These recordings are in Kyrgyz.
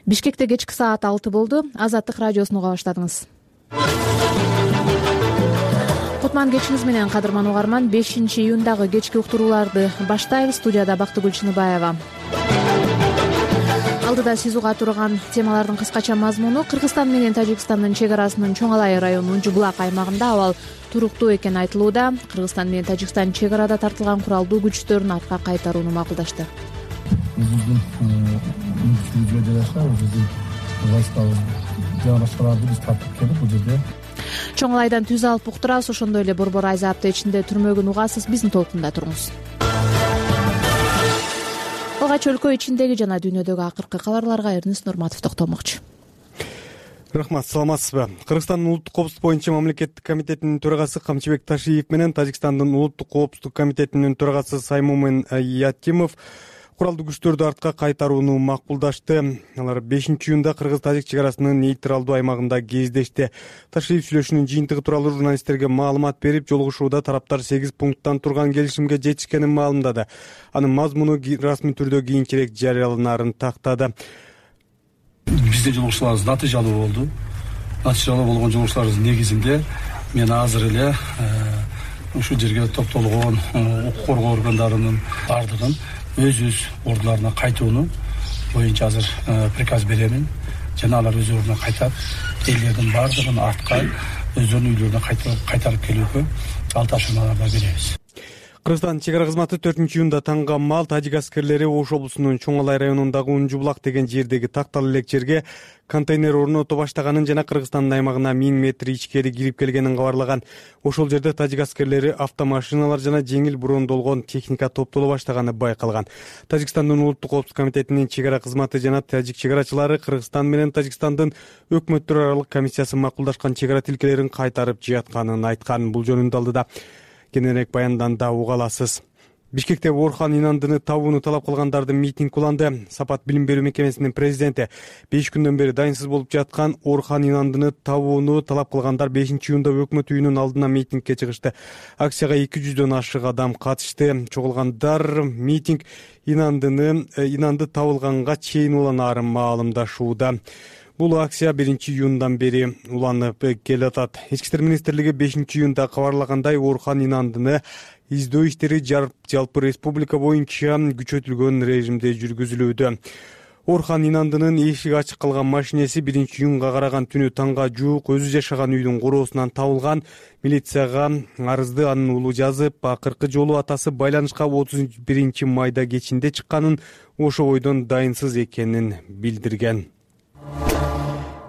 Бишкекте кечки саат 6 болду. Азаттык радиосун уга баштадыңыз. Кутман кечиңиз менен, кадырман угарман. 5-июндагы кечки уктурууларды баштайбыз. Студияда Бактыгүл Чыныбаева. Алдыда сиз уга турган темалардын кыскача мазмуну: Кыргызстан менен Тажикстандын чек арасынын Чоң Алай районунун Жубулак аймагында абал туруктуу экени айтылууда. Кыргызстан менен Тажикстан чек арада тартылган куралдуу күчтөрүн артка кайтарууну макулдашты. Биздин мүмкүнчүлүгүбүзгө жараша биздин войскалар жарашаларды биз тартып келип бул жерде Чоң Алайдан түз алып уктурабыз. Ошондой эле Борбор Айза аптечинде түрмөгүн угасыз. Биздин толкунда туруңуз. Алгач өлкө ичиндеги жана дүйнөдөгү акыркы кабарларга Эрнис Нурматов токтолмокчу. Рахмат, саламатсызбы? Кыргызстандын улуттук коопсуздук боюнча мамлекеттик комитетинин төрагасы Камчыбек Ташиев менен Тажикстандын улуттук коопсуздук комитетинин төрагасы Саймумин Ятимов куралдуу күчтөрдү артка кайтарууну макулдашты. Алар 5-июнда кыргыз-тажик чек арасынын нейтралдуу аймагында кездешти. Ташиев сүйлөшүүнүн жыйынтыгы тууралуу журналисттерге маалымат берип, жолугушууда тараптар 8 пункттан турган келишимге жетишкенин маалымдады. Анын мазмуну расмий түрдө кийинчерээк жарыяланарын тактады. биздин жолугушууларыбыз натыйжалуу болду. Натыйжалуу болгон жолугушууларыбыздын негизинде мен азыр эле ушул жерге топтолгон укук коргоо органдарынын бардыгын өз ордуларына кайтууну боюнча азыр приказ беремин. Жана алар өз ордуна кайтап, элдердин бардыгын артка өздөрүнүн үйлөрүнө кайтарып келүүгө ал тапшырмаларды беребиз. Кыргызстан чек ара кызматы 4-июнда таңга мал тажик аскерлери Ош облусунун Чоң Алай районундагы Унжубулак деген жердеги тактал элек жерге контейнер орното баштаганын жана Кыргызстандын аймагына 1000 метр ичкери кирип келгенин кабарлаган. Ошол жерде тажик аскерлери автомашиналар жана жеңил брондолгон техника топтоло баштаганы байкалган. Тажикстандын улуттук коопсуздук комитетинин чек ара кызматы жана тажик чек арачылары Кыргызстан менен Тажикстандын өкмөттөр аралык комиссиясы макулдашкан чек ара тилкелерин кайтарып жыятканын айткан. Бул жөнүндө алдыда кененирээк баянданда уга аласыз. Бишкекте Орхан Инандыны табууну талап кылгандардын митинг уланды. Сапат билим берүү мекемесинин президенти 5 күндөн бери дайынсыз болуп жаткан Орхан Инандыны табууну талап кылгандар 5-июнда өкмөт үйүнүн алдына митингге чыгышты. Акцияга 200дөн ашык адам катышты. Чогулгандар митинг Инанды табылганга чейин уланаарын маалымдашууда. Бул акция 1-июндан бери уланып келатат. Ички иштер министрлиги 5-июнда кабарлагандай, Орхан Инандыны издөө иштери жалпы республика боюнча күчөтүлгөн режимде жүргүзүлүүдө. Орхан Инандынын эшиги ачык калган машинеси 1-июнга караган түнү таңга жуук өзү жашаган үйдүн короосунан табылган. Милицияга арызды анын уулу жазып, акыркы жолу атасы байланышка 31 майда кечинде чыкканын, ошо бойдон дайынсыз экенин билдирген.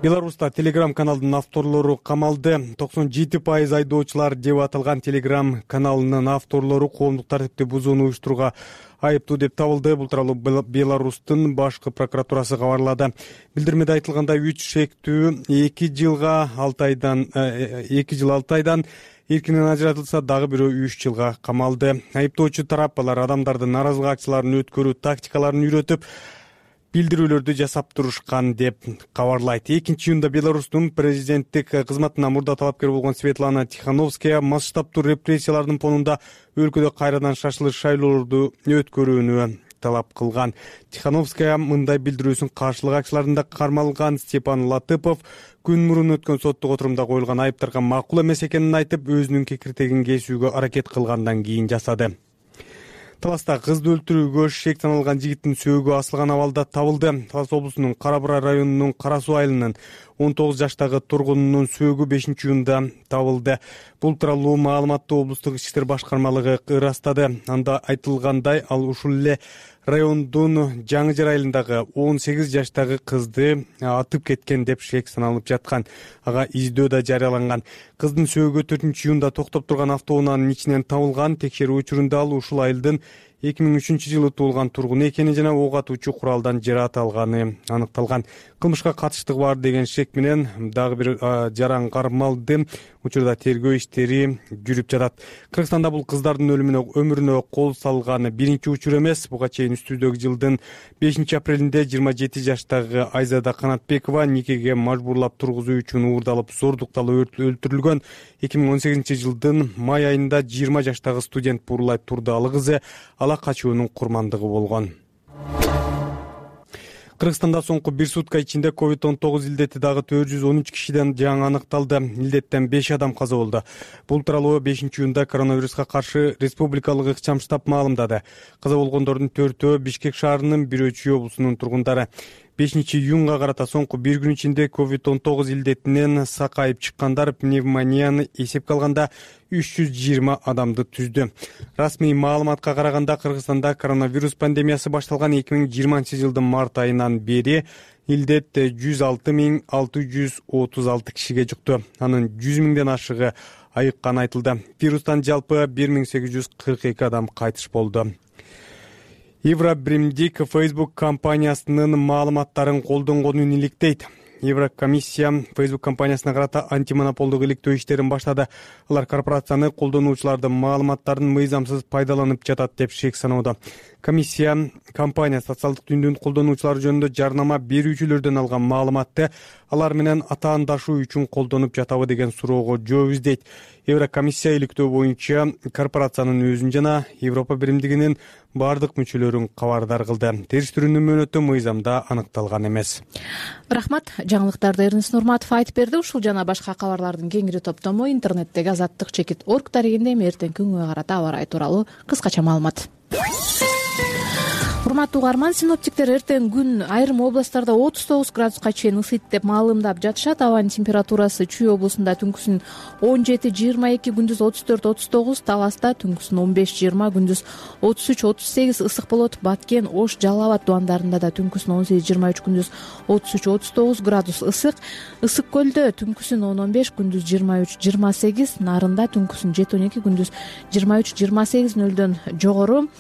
Беларуста Telegram каналдын авторлору камалды. 97% айдоочулар деп аталган Telegram каналынын авторлору коомдук тартипти бузууну уюштурууга айыптуу деп табылды. Бул тууралуу Беларустун башкы прокуратурасы кабарлады. Билдирмеде айтылгандай, 3 шектүү 2 жыл 6 айдан эркинен ажыратылса, дагы бирөө 3 жылга камалды. Айыптоочу тарап алар адамдардын нааразылык акцияларын өткөрүү тактикаларын үйрөтүп, билдирүүлөрдү жасап турушкан деп кабарлайт. 2-июнда Беларустун президенттик кызматына мурда талапкер болгон Светлана Тихановская масштабтуу репрессиялардын фонунда өлкөдө кайрадан шашылыш шайлоолорду өткөрүүнү талап кылган. Тихановская мындай билдирүүсүн каршылык акцияларында кармалган Степан Латыпов күн мурун өткөн соттук отурумда коюлган айыптарга макул эмес экенин айтып, өзүнүн кекиртегин кесүүгө аракет кылгандан кийин жасады. Таласта кызды өлтүрүүгө шек саналган жигиттин сөөгү асылган абалда табылды. Талас облусунун Кара-Бура районунун Кара-Суу айылынын 19 жаштагы тургунунун сөөгү 5-июнда табылды. Бул тууралуу маалыматты облустук ички иштер башкармалыгы ырастады. Анда айтылгандай, ал ушул эле райондун Жаңы Жар айылындагы 18 жаштагы кызды атып кеткен деп шек саналып жаткан. Ага издөө да жарыяланган. Кыздын сөөгү 4-июнда токтоп турган автоунаанын ичинен табылган. Текшерүү учурунда ал ушул айылдын 2003-жылы туулган тургуну экени жана ок атуучу куралдан жараат алганы аныкталган. Кылмышка катыштыгы бар деген шек менен дагы бир жаран кармалды. Учурда тергөө иштери жүрүп жатат. Кыргызстанда бул кыздардын өмүрүнө кол салган биринчи учур эмес. Буга чейин үстүбүздөгү жылдын 5-апрелинде 27 жаштагы Айзада Канатбекова никеге мажбурлап тургузуу үчүн уурдалып зордукталып өлтүрүлгөн. 2018-жылдын май айында 20 жаштагы студент Бурлай Турдалы кызы ала качуунун курмандыгы болгон. Кыргызстанда соңку бир сутка ичинде COVID-19 илдети дагы 413 кишиден жаңы аныкталды. Илдеттен 5 адам каза болду. Бул тууралуу 5-июнда коронавируска каршы республикалык ыкчам штаб маалымдады. Каза болгондордун 4-өө Бишкек шаарынын, бирөө Чүй облусунун тургундары. 5-июнга карата соңку бир күн ичинде COVID-19 илдетинен сакайып чыккандар пневмонияны эсепке алганда 320 адамды түздү. Расмий маалыматка караганда Кыргызстанда коронавирус пандемиясы башталган 2020-жылдын март айынан бери илдет 106.636 кишиге жукту. Анын 100 миңден ашыгы айыкканы айтылды. Вирустан жалпы 1842 адам кайтыш болду. Евробримдик Facebook компаниясынын маалыматтарын колдонгонун иликтейт. Еврокомиссия Facebook компаниясына карата антимонополдук иликтөө иштерин баштады. Алар корпорацияны колдонуучулардын маалыматтарын мыйзамсыз пайдаланып жатат деп шек саноодо. Комиссия компания социалдык түйүндүн колдонуучулары жөнүндө жарнама берүүчүлөрдөн алган маалыматты алар менен атаандашуу үчүн колдонуп жатабы деген суроого жооп издейт. Еврокомиссия иликтөө боюнча корпорациянын өзүн жана Европа биримдигинин бардык мүчөлөрүн кабардар кылды. Териштирүүнүн мөөнөтү мыйзамда аныкталган эмес. Рахмат. Жаңылыктарды Эрнест Нурматов айтып берди. Ушул жана башка кабарлардын кеңири топтому интернеттеги azаттык-чекит.org дарегинде эртең күнгө карата аба ырайы тууралуу кыскача маалымат. Урматтуу угарман, синоптиктер эртең күн айрым областтарда 39 градуска чейин ысыйт деп маалымдап жатышат. Абанын температурасы Чүй облусунда түнкүсүн 17-22, күндүз 34-39, Таласта түнкүсүн 15-20, күндүз 33-38 ысык болот. Баткен, Ош, Жалал Абад тубандарында да түнкүсүн 18-23, күндүз 33-39 градус ысык. Ысык көлдө түнкүсүн 10-15, күндүз 23-28, Нарында түнкүсүн 7-12, күндүз 23-28 жогору.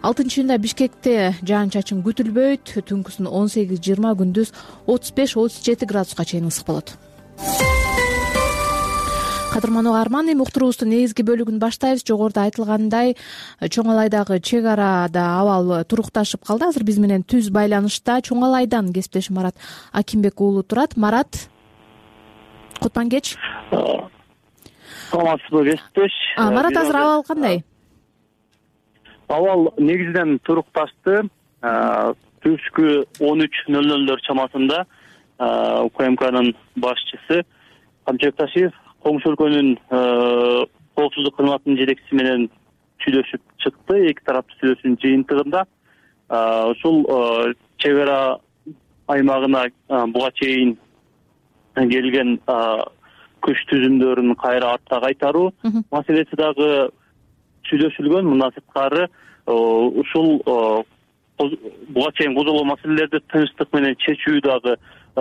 6-июнда Бишкекте жаан-чачын күтүлбөйт. Түнкүсүн 18-20, күндүз 35-37 градуска чейин ысык болот. Кадырман угарман, эми уктуруубуздун негизги бөлүгүн баштайбыз. Жогоруда айтылгандай, Чоңалайдагы чек арада абал турукташып калды. Азыр биз менен түз байланышта Чоңалайдан кесиптешим Марат Акимбек уулу турат. Марат, кутман кеч. Саламатсызбы, кесиптеш? Марат, азыр абал кандай? Абал негизинен турукташты. Түшкү 13:00 чамасында УКМКнын башчысы Камчыбек Ташиев коңшу өлкөнүн коопсуздук кызматынын жетекчиси менен сүйлөшүп чыкты. Эки тараптуу сүйлөшүүнүн жыйынтыгында ушул чек ара аймагына буга чейин келген күч түзүмдөрүн кайра артка кайтаруу маселеси дагы сүйлөшүлгөн. Мындан сырткары ушул буга чейин козголгон маселелерди тынчтык менен чечүү дагы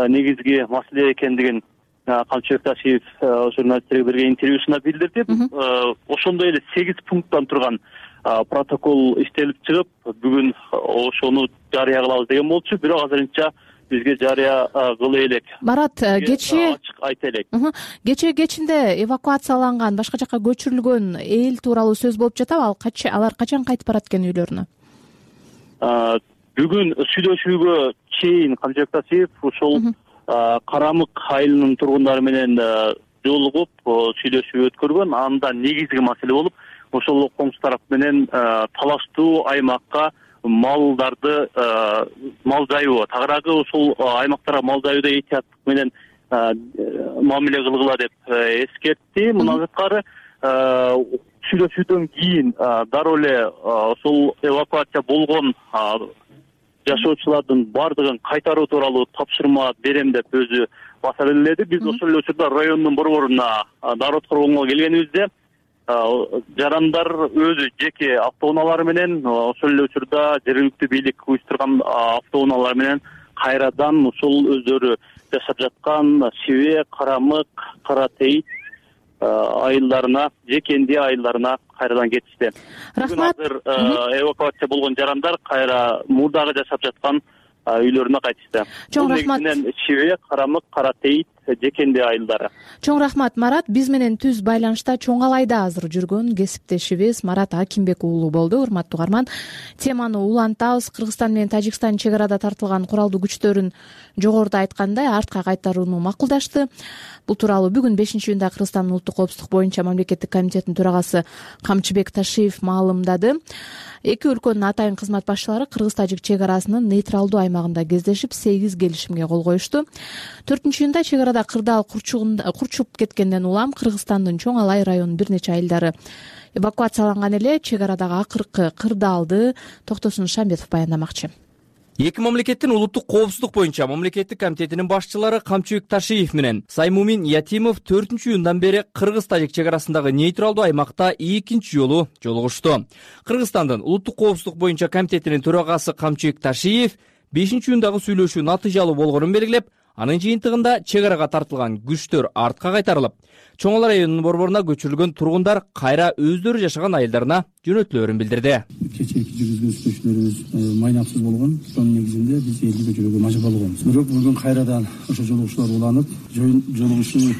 негизги маселе экендигин Камчыбек Ташиев журналисттерге берген интервьюсунда билдирди. Ошондой эле 8 пункттан турган протокол иштелип чыгып, бүгүн ошону жарыя кылабыз деген болчу. Бирок азырынча бизге жарыя кылы элек. Марат, кечээ ачык айта элек. Кечээ кечинде эвакуацияланган, башка жакка көчүрүлгөн эл тууралуу сөз болуп жатабы? Алар качан кайтып барат экен үйлөрүнө? Бүгүн сүйлөшүүгө чейин Камчыбек Ташиев ушул Карамык айылынын тургундары менен жолугуп сүйлөшүү өткөргөн. Анда негизги маселе болуп, ошол коңшу тарап менен талаштуу аймакка малдарды мал жайуу, тагыраагы ушул аймактарга мал жаюуда этияттык менен мамиле кылгыла деп эскертти. Мындан сырткары сүйлөшүүдөн кийин дароо эле ошол эвакуация болгон жашоочулардын бардыгын кайтаруу тууралуу тапшырма берем деп өзү баса белгиледи. Биз ошол эле учурда райондун борборуна дароо коргонго келгенибизде жарандар өзү жеке автоунаалары менен, ошол эле учурда жергиликтүү бийлик уюштурган автоунаалар менен кайрадан ушул өздөрү жашап жаткан Шибе, Карамык, Кара Тейит айылдарына, Жекенди айылдарына кайрадан кетишти. Рахмат. Азыр эвакуация болгон жарандар кайра мурдагы жашап жаткан үйлөрүнө кайтышты. Чоң рахмат. Негизинен Шибе, Карамык, Кара Тейит жекенде айылдары. Чоң рахмат, Марат. Биз менен түз байланышта Чоң Алайда азыр жүргөн кесиптешибиз Марат Акимбек уулу болду. Урматтуу угарман, теманы улантабыз. Кыргызстан менен Тажикстан чек арада тартылган куралдуу күчтөрүн жогоруда айткандай артка кайтарууну макулдашты. Бул тууралуу бүгүн 5-июнда Кыргызстандын улуттук коопсуздук боюнча мамлекеттик комитетинин төрагасы Камчыбек Ташиев маалымдады. Эки өлкөнүн атайын кызмат башчылары Кыргыз-Тажик чек арасынын нейтралдуу аймагында кездешип, 8 келишимге кол коюшту. 4-июнда чек арада кырдаал курчуп кеткенден улам Кыргызстандын Чоң Алай районунун бир нече айылдары эвакуацияланган эле. Чек арадагы акыркы кырдаалды Токтосун Шамбетов баяндамакчы. Эки мамлекеттин улуттук коопсуздук боюнча мамлекеттик комитетинин башчылары Камчыбек Ташиев менен Саймумин Ятимов 4-июндан бери Кыргыз-Тажик чек арасындагы нейтралдуу аймакта экинчи жолу жолугушту. Кыргызстандын улуттук коопсуздук боюнча комитетинин төрагасы Камчыбек Ташиев 5-июндагы сүйлөшүү натыйжалуу болгонун белгилеп, анын жыйынтыгында чек арага тартылган күчтөр артка кайтарылып, Чоң Алай районунун борборуна көчүрүлгөн тургундар кайра өздөрү жашаган айылдарына жөнөтүлөрүн билдирди. Кечээки жүргүзгөн сүйлөшүүлөрүбүз майнапсыз болгон. Ошонун негизинде биз элди көчүрүүгө мажбур болгонбуз. Бирок бүгүн кайрадан ошо жолугушуулар уланып, жолугушуу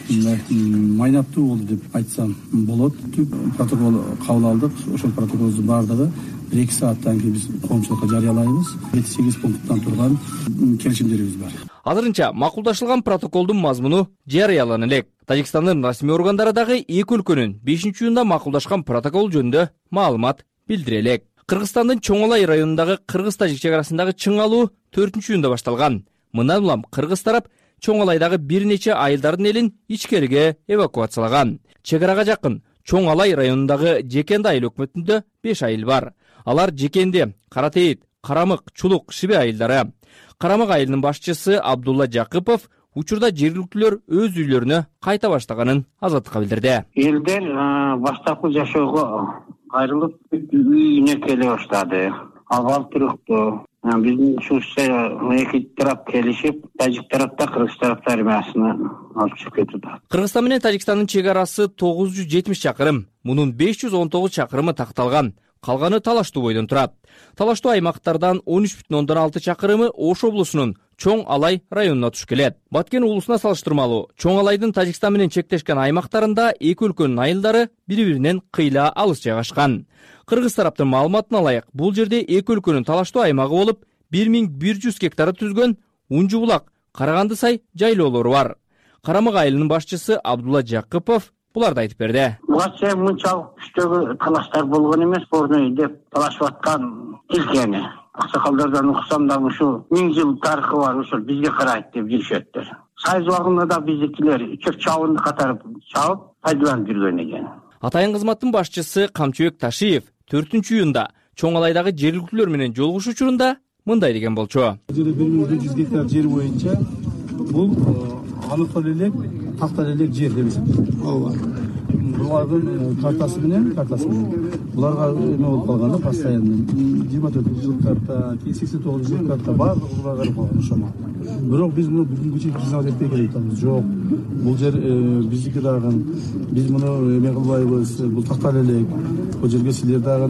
майнаптуу болду деп айтсам болот. Түп протокол кабыл алдык. Ошол протоколдун баардыгы 1-2 сааттан кийин биз коомчулукка жарыялайбыз. 7-8 пункттан турган келишимдерибиз бар. Азырынча макулдашылган протоколдун мазмуну жарыялана элек. Тажикстандын расмий органдары дагы эки өлкөнүн 5-июнда макулдашкан протокол жөнүндө маалымат билдире элек. Кыргызстандын Чоң Алай районундагы Кыргыз-Тажик чек арасындагы чың алуу 4-июнда башталган. Мындан улам кыргыз тарап Чоң Алайдагы бир нече айылдардын элин ичкериге эвакуациялаган. Чек арага жакын Чоң Алай районундагы Жекенди айыл өкмөтүндө 5 айыл бар. Алар Жекенди, Каратейит, Карамык, Чулук, Шибе айылдары. Карамык айылынын башчысы Абдулла Жакыпов учурда жергиликтүүлөр өз үйлөрүнө кайта баштаганын азаттыкка билдирди. Элдер баштапкы жашоого кайрылып үйүнө келе баштады. Абал туруктуу. Биздин ушунча эки тарап келишип, Тажик тарапта Кыргыз тарапта армиясына алып чыгып кетти. Кыргызстан менен Тажикстандын чек арасы 970 чакырым. Мунун 519 чакырымы такталган. Калганы талаштуу бойдон турат. Талаштуу аймактардан 13,6 чакырымы Ош облусунун Чоң Алай районуна туш келет. Баткен уулусуна салыштырмалуу Чоң Алайдын Тажикстан менен чектешкен аймактарында эки өлкөнүн айылдары бири-биринен кыйла алыс жайгашкан. Кыргыз тараптын маалыматына ылайык, бул жерде эки өлкөнүн талаштуу аймагы болуп, 1100 гектар түзгөн Унжу булак, Караганды сай жайлоолору бар. Карамык айылынын башчысы Абдулла Жакыпов буларды айтып берди. Буга мынчалык күчтөгү талаштар болгон эмес, борно деп талашып аткан тилкени. Аксакалдардан уксам да ушу 1000 жыл тарыхы бар, ошол бизге карайт деп жүрүшөттөр. Сайыз убагында да биздикилер чөп чабынды катарып чабып пайдаланып жүргөн экен. Атайын кызматтын башчысы Камчыбек Ташиев 4-июнда Чоң Алайдагы жергиликтүүлөр менен жолугушуу учурунда мындай деген болчу. 1100 гектар жер боюнча бул аныктал элек, тактал элек жер деп эсептелет. Булардын картасы менен буларга эме болуп калган, постоянно 24 жыл карта, 89 жыл карта баардыгы буларга карап калган ошомо. Бирок биз муну бүгүнкү чейин признавать этпей келатабыз. Жок, бул жер биздики дагы, биз муну эме кылбайбыз, бул тактал элек, бул жерге силер дагы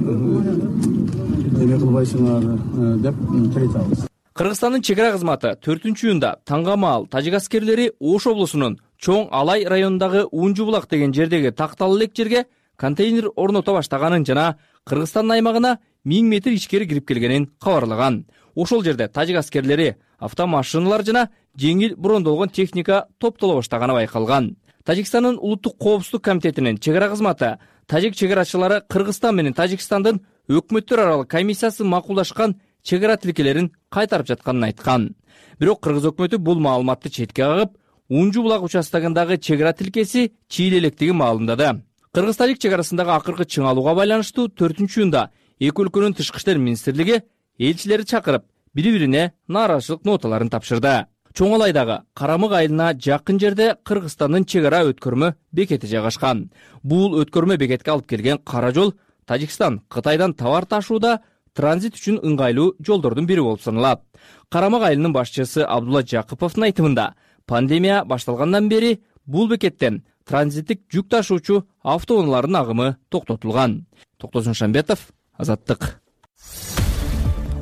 эме кылбайсыңар деп келатабыз. Кыргызстандын чек ара кызматы 4-июнда таңга маал тажик аскерлери Ош облусунун Чоң Алай районундагы Унжу булак деген жердеги тактал элек жерге контейнер орното баштаганын жана Кыргызстандын аймагына 1000 метр ичкери кирип келгенин кабарлаган. Ошол жерде тажик аскерлери автомашиналар жана жеңил брондолгон техника топтоло баштаганы байкалган. Тажикстандын улуттук коопсуздук комитетинин чек ара кызматы тажик чек арачылары Кыргызстан менен Тажикстандын өкмөттөр аралык комиссиясы макулдашкан чек ара тилкелерин кайтарып жатканын айткан. Бирок Кыргыз өкмөтү бул маалыматты четке кагып, Унжу булак участогундагы чек ара тилкеси чийле электигин маалымдады. Кыргыз-Тажик чек арасындагы акыркы чың алууга байланыштуу 4-июнда эки өлкөнүн тышкы иштер министрлиги элчилерди чакырып, бири-бирине нааразычылык ноталарын тапшырды. Чоң Алайдагы Карамык айылына жакын жерде Кыргызстандын чек ара өткөрмө бекети жайгашкан. Бул өткөрмө бекетке алып келген кара жол Тажикстан Кытайдан товар ташууда транзит үчүн ыңгайлуу жолдордун бири болуп саналат. Карамык айылынын башчысы Абдулла Жакыповдун айтымында, пандемия башталгандан бери бул бекеттен транзиттик жүк ташуучу автоунаалардын агымы токтотулган. Токтосун Шамбетов, Азаттык.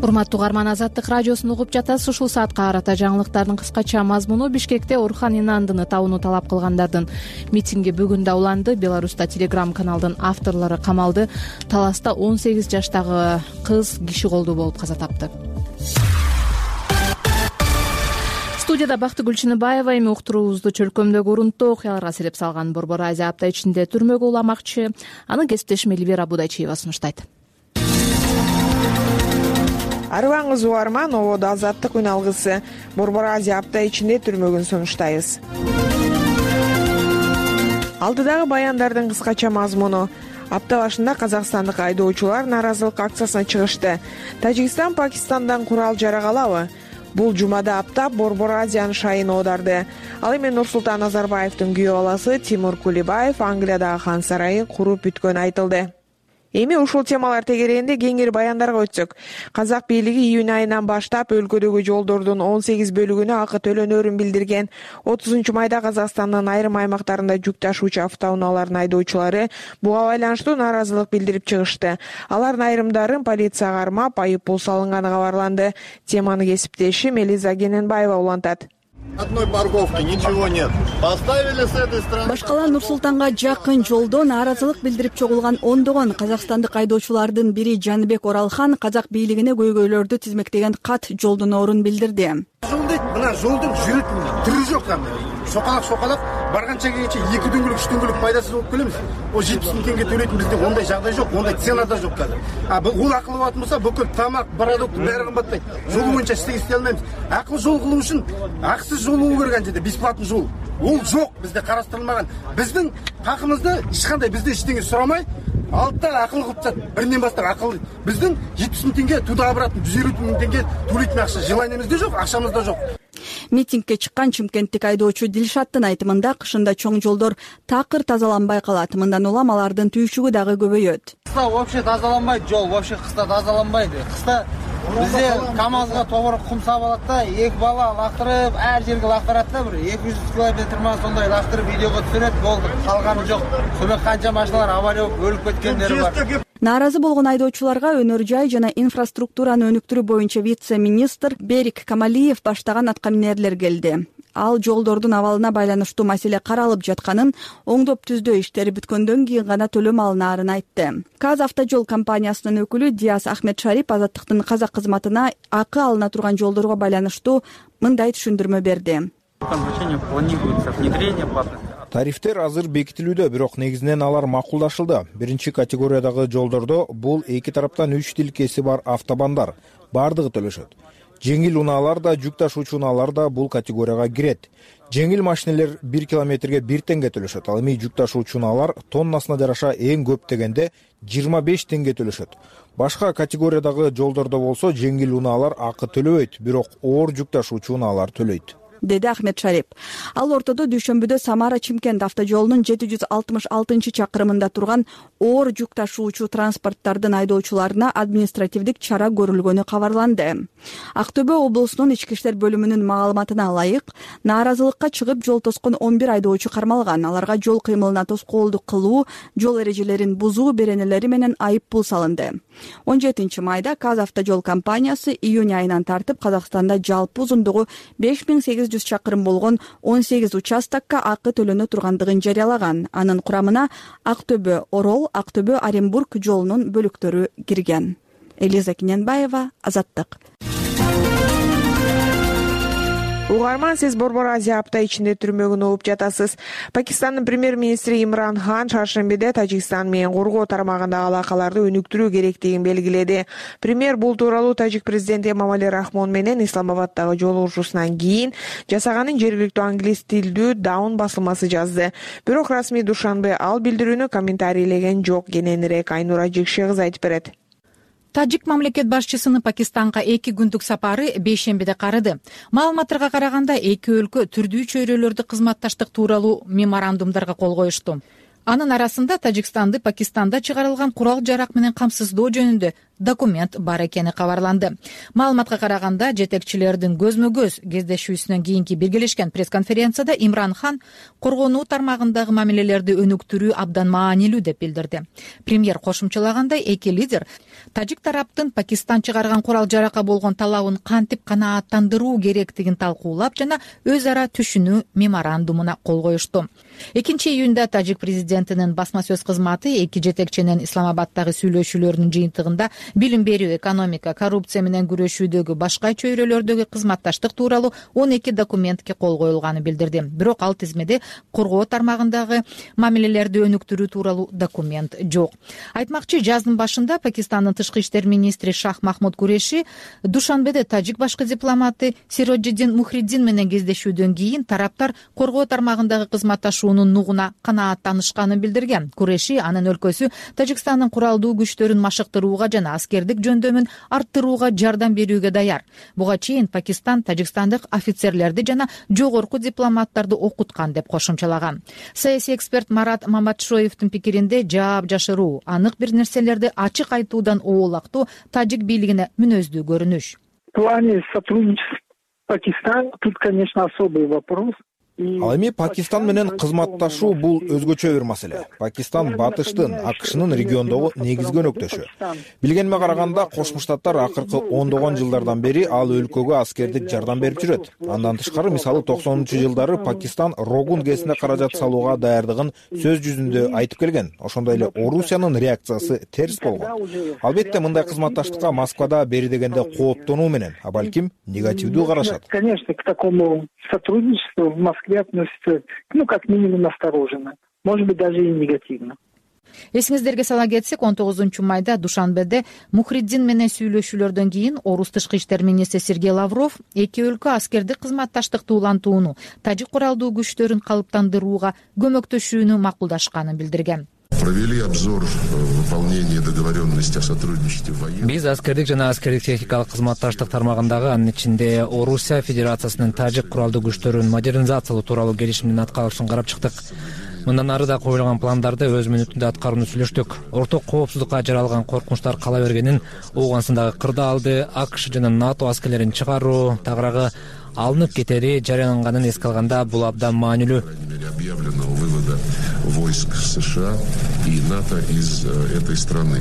Урматтуу угарман, Азаттык радиосун угуп жатасыз. Ушул саатка карата жаңылыктардын кыскача мазмуну. Бишкекте Орхан Инандыны табууну талап кылгандардын митинги бүгүн да уланды. Беларуста телеграм-каналдын авторлору камалды. Таласта 18 жаштагы кыз киши колдуу болуп каза тапты. Студияда Бактыгүл Чыныбаева. Эми уктуруубузду чөлкөмдөгү урунттуу окуяларга сереп салган Борбор Азия апта ичинде түрмөгө уламакчы. Аны кесиптешим Элвира Будайчиева сунуштайт. Арыбаңыз угарман, ободо Азаттык үн алгысы. Борбор Азия апта ичинде түрмөгүн сунуштайбыз. Алдыдагы баяндардын кыскача мазмуну. Апта башында казакстандык айдоочулар нааразылык акциясына чыгышты. Тажикстан Пакистандан курал жарагалабы? Бул жумада аптап Борбор Азиянын шайын оодарды. Ал эми Нурсултан Назарбаевдин күйөө баласы Тимур Кулибаев Англиядагы хан сарайын куруп бүткөнү айтылды. Эми ушул темалар тегерегинде кеңири баяндарга өтсөк, казак бийлиги июнь айынан баштап өлкөдөгү жолдордун 18 бөлүгүнө акы төлөнөрүн билдирген. 30 майда Казакстандын айрым аймактарында жүк ташуучу автоунаалардын айдоочулары буга байланыштуу нааразылык билдирип чыгышты. Алардын айрымдарын полиция кармап, айып пул салынганы кабарланды. Теманы кесиптешим Элиза Кененбаева улантат. Одной парковки, ничего нет. Поставили с этой стороны. Башкала Нур-Султанга жакын жолдо нааразылык билдирип чогулган ондогон казакстандык айдоочулардын бири Жаныбек Оралхан казак бийлигине көйгөйлөрдү тизмектеген кат жолдоноорун билдирди. Мына жолдун жүрөтүн түрү жок кандай. Шокалак барганча келгенче 2 күнгүлүк 3 күнгүлүк пайдасыз болуп келебиз. О 70 000 теңге төлөйтүн бизде ондай жагдай жок, ондай цена да жок казыр. Бул акыл болот болсо бүкүл тамак, продукт баары кымбаттайт. Жол боюнча иштей алмайбыз. Акыл жол кылуу үчүн акысыз жол болуу керек анча, бесплатный жол. Ол жок, бизде карастырылмаган. Биздин хакыбызды эч кандай бизде эчтеке сурамай, алтта акыл кылып жатат. Биринен баштап акыл. Биздин 70 000 теңге туда обратно 150 000 теңге төлөйтүн акча желаниемизде жок, акчамызда жок. Митингге чыккан чымкенттик айдоочу Дилшаттын айтымында кышында чоң жолдор такыр тазаланбай калат. Мындан улам алардын түйшүгү дагы көбөйөт. Кыста вообще тазаланбайт жол, вообще кыста тазаланбайт. Кыста бизде КамАЗга тобор кум сап алат да, 2 бала лактырып, ар жерге лактырат да, бир 200 километр ма сондай лактырып видеого түшүрөт, болду. Калганы жок. Сөнөк канча машиналар авария болуп өлүп кеткендери бар. Нааразы болгон айдоочуларга өнөр жай жана инфраструктураны өнүктүрүү боюнча вице-министр Берик Камалиев баштаган аткаминерлер келди. Ал жолдордун абалына байланыштуу маселе каралып жатканын, оңдоп түздөө иштери бүткөндөн кийин гана төлөм алынаарын айтты. Казавтожол компаниясынын өкүлү Диас Ахмедшарип Азаттыктын казак кызматына акы алына турган жолдорго байланыштуу мындай түшүндүрмө берди. Тарифтер азыр бекитилүүдө, бирок негизинен алар макулдашылды. Биринчи категориядагы жолдордо бул эки тараптан 3 тилкеси бар автобандар бардыгы төлөшөт. Жеңил унаалар да, жүк ташуучу унаалар да бул категорияга кирет. Жеңил машинелер 1 километрге 1 теңге төлөшөт. Ал эми жүк ташуучу унаалар тоннасына жараша эң көп дегенде 25 теңге төлөшөт. Башка категориядагы жолдордо болсо жеңил унаалар акы төлөбөйт, бирок оор жүк ташуучу унаалар төлөйт, деди Ахмедшарип. Ал ортодо дүйшөмбүдө Самара-Чимкент автожолунун 766 чакырымында турган оор жүк ташуучу транспорттардын айдоочуларына административдик чара көрүлгөнү кабарланды. Актөбө облусунун ички иштер бөлүмүнүн маалыматына ылайык, нааразылыкка чыгып жол тоскон 11 айдоочу кармалган. Аларга жол кыймылына тоскоолдук кылуу, жол эрежелерин бузуу беренелери менен айып пул салынды. 17 майда Казавтожол компаниясы июнь айынан тартып Казакстанда жалпы узундугу 5800 чакырым болгон 18 участокко акы төлөнө тургандыгын жарыялаган. Анын курамына Актөбө Орол, Актөбө Оренбург жолунун бөлүктөрү кирген. Элиза Кененбаева, Азаттык. Угарман, сиз Борбор Азия апта ичинде түрмөгүн угуп жатасыз. Пакистандын премьер-министри Имран Хан чаршембиде Тажикстан менен коргоо тармагындагы алакаларды өнүктүрүү керектигин белгиледи. Премьер бул тууралуу тажик президенти Эмомали Рахмон менен Исламабаддагы жолугушуусунан кийин жасаганын жергиликтүү англис тилдүү Даун басылмасы жазды. Бирок расмий Душанбе ал билдирүүнү комментарийлеген жок. Кененирээк Айнура Жекше кыз айтып берет. Тажик мамлекет башчысынын Пакистанга 2 күндүк сапары бейшембиде карыды. Маалыматтарга караганда эки өлкө түрдүү чөйрөлөрдө кызматташтык тууралуу меморандумдарга кол коюшту. Анын арасында Тажикстанды Пакистанда чыгарылган курал жарак менен камсыздоо жөнүндө документ бар экени кабарланды. Маалыматка караганда, жетекчилердин көзмө көз кездешүүсүнөн кийинки биргелешкен пресс-конференцияда Имран Хан коргонуу тармагындагы мамилелерди өнүктүрүү абдан маанилүү деп билдирди. Премьер кошумчалагандай, эки лидер тажик тараптын Пакистан чыгарган курал жаракка болгон талабын кантип канааттандыруу керектигин талкуулап жана өз ара түшүнүү меморандумуна кол коюшту. 2-июнда тажик президентинин басма сөз кызматы эки жетекчинин Исламабаддагы сүйлөшүүлөрүнүн жыйынтыгында билим берүү, экономика, коррупция менен күрөшүүдөгү башка чөйрөлөрдөгү кызматташтык тууралуу 12 документке кол коюлганын билдирди. Бирок ал тизмеде коргоо тармагындагы мамилелерди өнүктүрүү тууралуу документ жок. Айтмакчы, жаздын башында Пакистандын тышкы иштер министри Шах Махмуд Куреши Душанбеде тажик башкы дипломаты Сироджиддин Мухриддин менен кездешүүдөн кийин тараптар коргоо тармагындагы кызматташуунун нугуна канааттанышканын билдирген. Куреши анын өлкөсү Тажикстандын куралдуу күчтөрүн машыктырууга жана аскердик жөндөмүн арттырууга жардам берүүгө даяр. Буга чейин Пакистан тажикстандык офицерлерди жана жогорку дипломаттарды окуткан деп кошумчалаган. Саясий эксперт Марат Маматшоевдин пикиринде, жаап жашыруу, анык бир нерселерди ачык айтуудан оолактуу тажик бийлигине мүнөздүү көрүнүш. В плане сотрудничества Пакистан тут, конечно, особый вопрос. Ал эми Пакистан менен кызматташуу бул өзгөчө бир маселе. Пакистан батыштын, АКШнын региондогу негизги өнөктөшү. Билгениме караганда, Кошмо Штаттар акыркы ондогон жылдардан бери ал өлкөгө аскердик жардам берип жүрөт. Андан тышкары, мисалы 90-жылдары Пакистан Рогун ГЭСине каражат салууга даярдыгын сөз жүзүндө айтып келген. Ошондой эле Орусиянын реакциясы терс болгон. Албетте, мындай кызматташтыкка Москвада бери дегенде кооптонуу менен, а балким негативдүү карашат. Конечно, к такому сотрудничеству в Москве относится, как минимум, настороженно. Может быть, даже и негативно. Эсиңиздерге сала кетсек, 19-майда Душанбеде Мухриддин менен сүйлөшүүлөрдөн кийин орус тышкы иштер министри Сергей Лавров эки өлкө аскердик кызматташтыкты улантууну, тажик куралдуу күчтөрүн калыптандырууга көмөктөшүүнү макулдашканын билдирген. Провели обзор выполнения договоренности о сотрудничестве военных. Биз аскердик жана аскердик техникалык кызматташтык тармагындагы, анын ичинде Орусия Федерациясынын тажик куралдуу күчтөрүн модернизациялоо тууралуу келишимдин аткарылышын карап чыктык. Мындан ары да коюлган пландарды өз мүнөтүндө аткарууну сүйлөштүк. Орток коопсуздукка жаралган коркунучтар кала бергенин, Ооганстандагы кырдаалды АКШ жана НАТО аскерлерин чыгаруу тагыраагы алынып кетери жарыяланганын эске алганда, бул абдан маанилүү. Объявленного вывода войск США и НАТО из этой страны.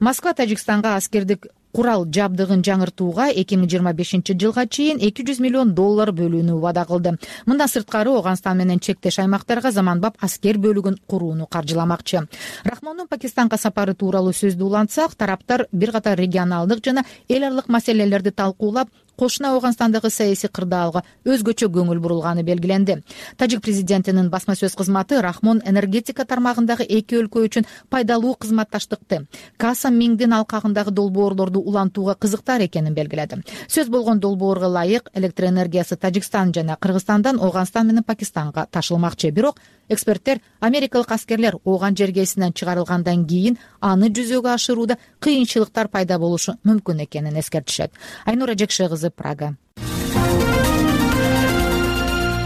Москва Тажикстанга аскердик курал жабдыгын жаңыртууга 2025-жылга чейин $200 миллион бөлүүнү убада кылды. Мындан сырткары, Ооганстан менен чектеш аймактарга заманбап аскер бөлүгүн курууну каржыламакчы. Рахмондун Пакистанга сапары тууралуу сөздү улантсак, тараптар бир катар регионалдык жана эл аралык маселелерди талкуулап, кошуна Ооганстандагы саясий кырдаалга өзгөчө көңүл бурулганы белгиленди. Тажик президентинин басма сөз кызматы Рахмон энергетика тармагындагы эки өлкө үчүн пайдалуу кызматташтыкты, Касам Мингдин алкагындагы долбоорлорду улантууга кызыктар экенин белгиледи. Сөз болгон долбоорго ылайык электроэнергиясы Тажикстан жана Кыргызстандан Ооганстан менен Пакистанга ташылмакчы. Бирок эксперттер америкалык аскерлер Ооган жергесинен чыгарылгандан кийин аны жүзөгө ашырууда кыйынчылыктар пайда болушу мүмкүн экенин эскертишет. Айнура Жекше кызы, Прага.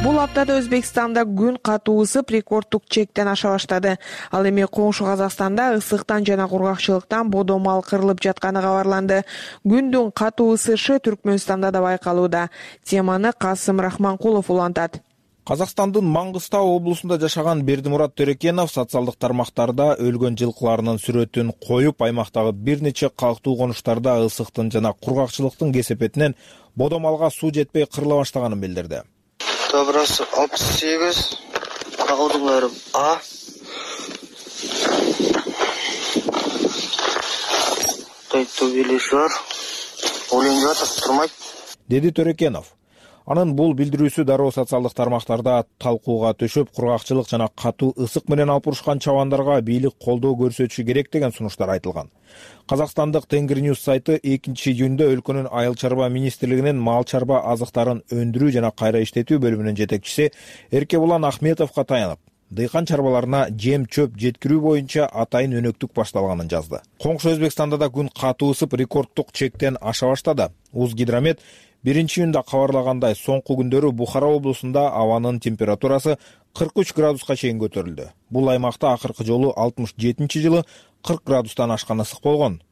Бул аптада Өзбекстанда күн катуу ысып рекордтук чектен аша баштады. Ал эми коңшу Казакстанда ысыктан жана кургакчылыктан бодо мал кырылып жатканы кабарланды. Күндүн катуу ысышы Түркмөнстанда да байкалууда. Теманы Касым Рахманкулов улантат. Казакстандын Маңгыстау облусунда жашаган Бердимурат Төрекенов социалдык тармактарда өлгөн жылкыларынын сүрөтүн коюп, аймактагы бир нече калктуу конуштарда ысыктын жана кургакчылыктын кесепетинен бодо малга суу жетпей кырыла баштаганын билдирди. Добрасы 68, калдыңарым А. Тайтубелеш бар. Олен жатып турмайт, деди Төрекенов. Анын бул билдирүүсү дароо социалдык тармактарда талкууга төшөп, кургакчылык жана катуу ысык менен алып урушкан чабандарга бийлик колдоо көрсөтүшү керек деген сунуштар айтылган. Казакстандык Тенгриньюз сайты 2-июнда өлкөнүн айыл чарба министрлигинин мал чарба азыктарын өндүрүү жана кайра иштетүү бөлүмүнүн жетекчиси Эркебулан Ахметовго таянып, дыйкан чарбаларына жем чөп жеткирүү боюнча атайын өнөктүк башталганын жазды. Коңшу Өзбекстанда да күн катуу ысып рекордтук чектен аша баштады. Узгидромет 1-июнда кабарлагандай, соңку күндөрү Бухара облусунда абанын температурасы 43 градуска чейин көтөрүлдү. Бул аймакта акыркы жолу 67-жылы 40 градустан ашкан ысык болгон.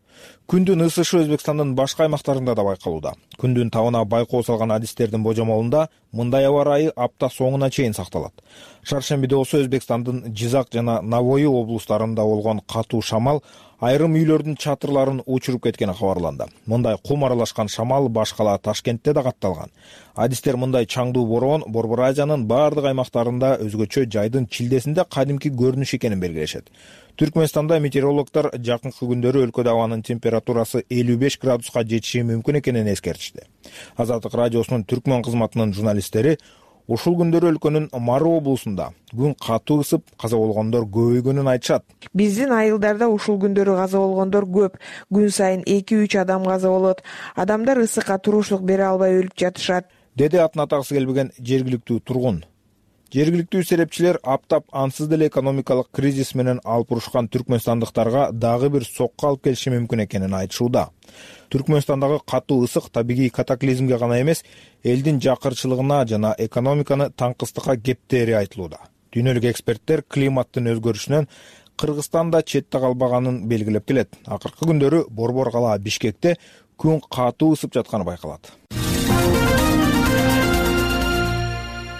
Күндүн ысышы Өзбекстандын башка аймактарында да байкалууда. Күндүн табына байкоо салган адистердин божомолунда мындай аба ырайы апта соңуна чейин сакталат. Шаршембиде болсо Өзбекстандын Жизак жана Навои облустарында болгон катуу шамал айрым үйлөрдүн чатырларын учуруп кеткени кабарланды. Мындай кум аралашкан шамал баш кала Ташкентте да катталган. Адистер мындай чаңдуу бороон Борбор Азиянын бардык аймактарында өзгөчө жайдын чилдесинде кадимки көрүнүш экенин белгилешет. Түркмөнстанда метеорологдор жакынкы күндөрү өлкөдө абанын температурасы 55 градуска жетиши мүмкүн экенин эскертишти. Азаттык радиосунун түркмөн кызматынын журналисттери ушул күндөрү өлкөнүн Мары облусунда күн катуу ысып, каза болгондор көбөйгөнүн айтышат. Биздин айылдарда ушул күндөрү каза болгондор көп. Күн сайын 2-3 адам каза болот. Адамдар ысыкка турушлук бере албай өлүп жатышат, деди атын атагысы келбеген жергиликтүү тургун. Жергиликтүү серепчилер аптап ансыз деле экономикалык кризис менен алпурушкан түркмөнстандыктарга дагы бир сокку алып келиши мүмкүн экенин айтышууда. Түркмөнстандагы катуу ысык табигый катаклизмге гана эмес, элдин жакырчылыгына жана экономиканы таңкыстыкка кептери айтылууда. Дүйнөлүк эксперттер климаттын өзгөрүшүнөн Кыргызстан да четте калбаганын белгилеп келет. Акыркы күндөрү Борбор кала Бишкекте күн катуу ысып жатканы байкалат.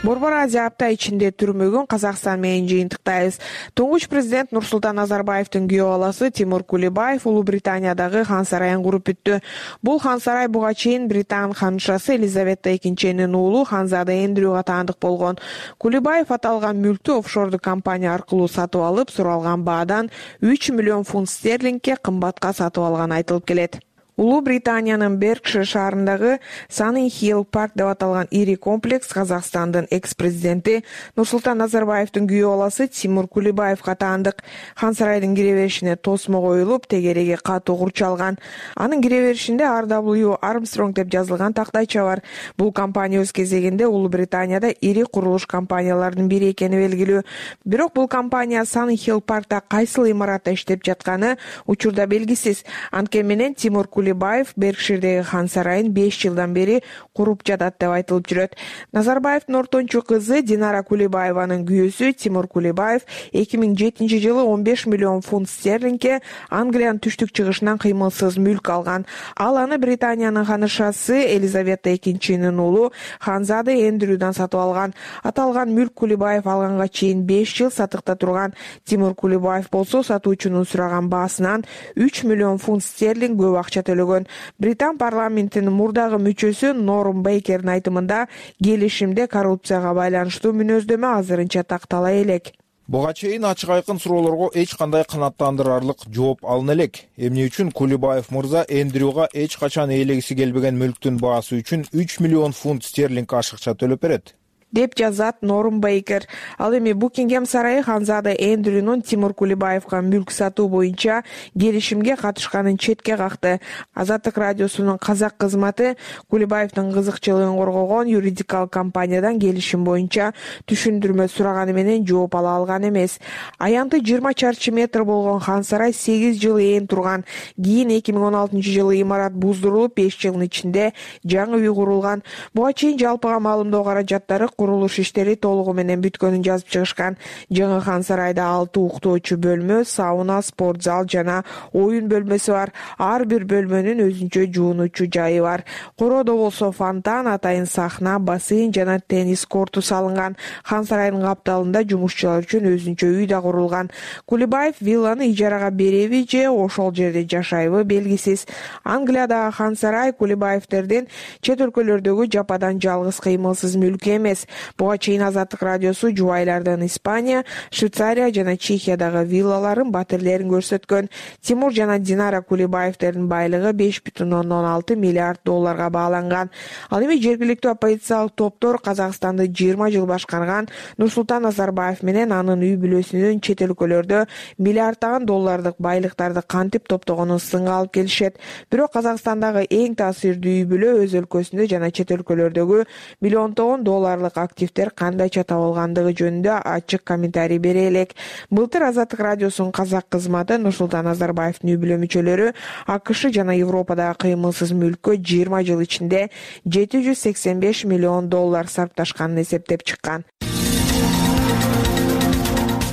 Борбор Азия апта ичинде түрмөгүн Казакстан менен жыйынтыктайбыз. Туңгуч президент Нурсултан Назарбаевдин күйөө баласы Тимур Кулибаев Улуу Британиядагы хан сарайын куруп бүттү. Бул хан сарай буга чейин Британ ханышасы Елизавета II уулу Ханзада Эндрюга таандык болгон. Кулибаев аталган мүлктү офшордук компания аркылуу сатып алып, суралган баадан 3 миллион фунт стерлингге кымбатка сатып алганы айтылып келет. Улуу Британиянын Беркшир шаарындагы Sunny Hill Park деп аталган ири комплекс Казакстандын экс-президенти Нурсултан Назарбаевдин күйөө баласы Тимур Кулибаевга таандык. Хан сарайдын кире беришине тосмо коюлуп, тегереги катуу курчалган. Анын кире беришинде RW Armstrong деп жазылган тактайча бар. Бул компания өз кезегинде Улуу Британияда ири курулуш компанияларынын бири экени белгилүү. Бирок бул компания Sunny Hill Parkта кайсыл имаратта иштеп жатканы учурда белгисиз. Анткени менен Тимур Кулибаев Беркширдеги хан сарайын 5 жылдан бери куруп жатат деп айтылып жүрөт. Назарбаевдин ортончу кызы Динара Кулибаеванын күйөөсү Тимур Кулибаев 2007 жылы 15 миллион фунт стерлингге Англиянын түштүк чыгышынан кыймылсыз мүлк алган. Ал аны Британиянын ханышасы Елизавета II уулу Ханзада Эндрюдан сатып алган. Аталган мүлк Кулибаев алганга чейин 5 жыл сатыкта турган. Тимур Кулибаев болсо сатуучунун сураган баасынан 3 миллион фунт стерлинг көп акча төлөгөн. Британ парламентинин мурдагы мүчөсү Норм Бейкердин айтымында келишимде коррупцияга байланыштуу мүнөздөмө азырынча тактала элек. Буга чейин ачык айкын суроолорго эч кандай канааттандырарлык жооп алына элек. Эмне үчүн Кулибаев мырза Эндрюга эч качан ээлегиси келбеген мүлктүн баасы үчүн 3 миллион фунт стерлинг ашыкча төлөп берет деп жазат Норм Бейкер. Ал эми Букингем сарайы Ханзада Эндрюнун Тимур Кулибаевга мүлк сатуу боюнча келишимге катышканын четке какты. Азаттык радиосунун казак кызматы Кулибаевдин кызыкчылыгын коргогон юридикалык компаниядан келишим боюнча түшүндүрмө сураганы менен жооп ала алган эмес. Аянты 20 чарчы метр болгон хан сарай 8 жыл ээн турган. Кийин 2016 жылы имарат буздурулуп 5 жылдын ичинде жаңы үй курулган. Буга чейин жалпыга маалымдоо каражаттары курулуш иштери толугу менен бүткөнүн жазып чыгышкан. Жаңы хан сарайда 6 уктоочу бөлмө, сауна, спорт зал жана оюн бөлмөсү бар. Ар бир бөлмөнүн өзүнчө жуунуучу жайы бар. Короодо болсо фонтан, атайын сахна, бассейн жана теннис корту салынган. Хан сарайдын капталында жумушчулар үчүн өзүнчө үй да курулган. Кулибаев вилланы ижарага береби же ошол жерде жашайбы белгисиз. Англиядагы хан сарай Кулибаевдердин чет өлкөлөрдөгү жападан жалгыз кыймылсыз мүлкү эмес. Буга чейин Азаттык радиосу жубайлардын Испания, Швейцария жана Чехиядагы виллаларын, батирлерин көрсөткөн. Тимур жана Динара Кулибаевдердин байлыгы 5,6 миллиард долларга бааланган. Ал эми жергиликтүү оппозициялык топтор Казакстанды 20 жыл башкарган Нурсултан Назарбаев менен анын үй бүлөсүнүн чет өлкөлөрдө миллиарддаган доллардык байлыктарды кантип топтогонун сынга алып келишет. Бирок Казакстандагы эң таасирдүү үй бүлө өз өлкөсүндө жана чет өлкөлөрдөгү миллиондогон долларлык активдер кандайча табылгандыгы жөнүндө ачык комментарий бере элек. Былтыр Азаттык радиосунун казак кызматы Нурсултан Назарбаевдин үй бүлө мүчөлөрү АКШ жана Европадагы кыймылсыз мүлккө 20 жыл ичинде 785 миллион доллар сарпташканын эсептеп чыккан.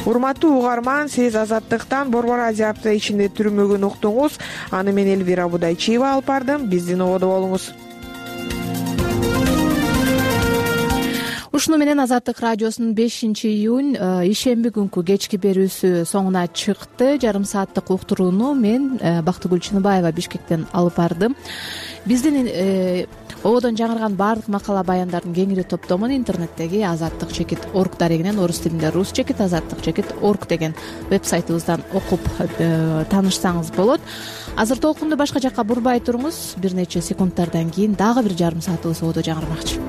урматтуу угарман, сиз Азаттыктан Борбор Азия апта ичинде түрмөгүн уктуңуз. Аны мен Элвира Будайчиева алып бардым. Биздин ободо болуңуз. Ушуну менен Азаттык радиосунун 5-июнь ишемби күнкү кечки берүүсү соңуна чыкты. Жарым сааттык уктурууну мен Бактыгүл Чыныбаева Бишкектен алып бардым. Биздин ободон жаңырган баардык макала баяндардын кеңири топтомун интернеттеги azattik.org дарегинен орус тилинде rus-azattik.org деген вебсайтыбыздан окуп таанышсаңыз болот. Азыр толкунду башка жакка бурбай туруңуз. Бир нече секундтардан кийин дагы бир жарым саатыбыз ободо жаңырмакчы.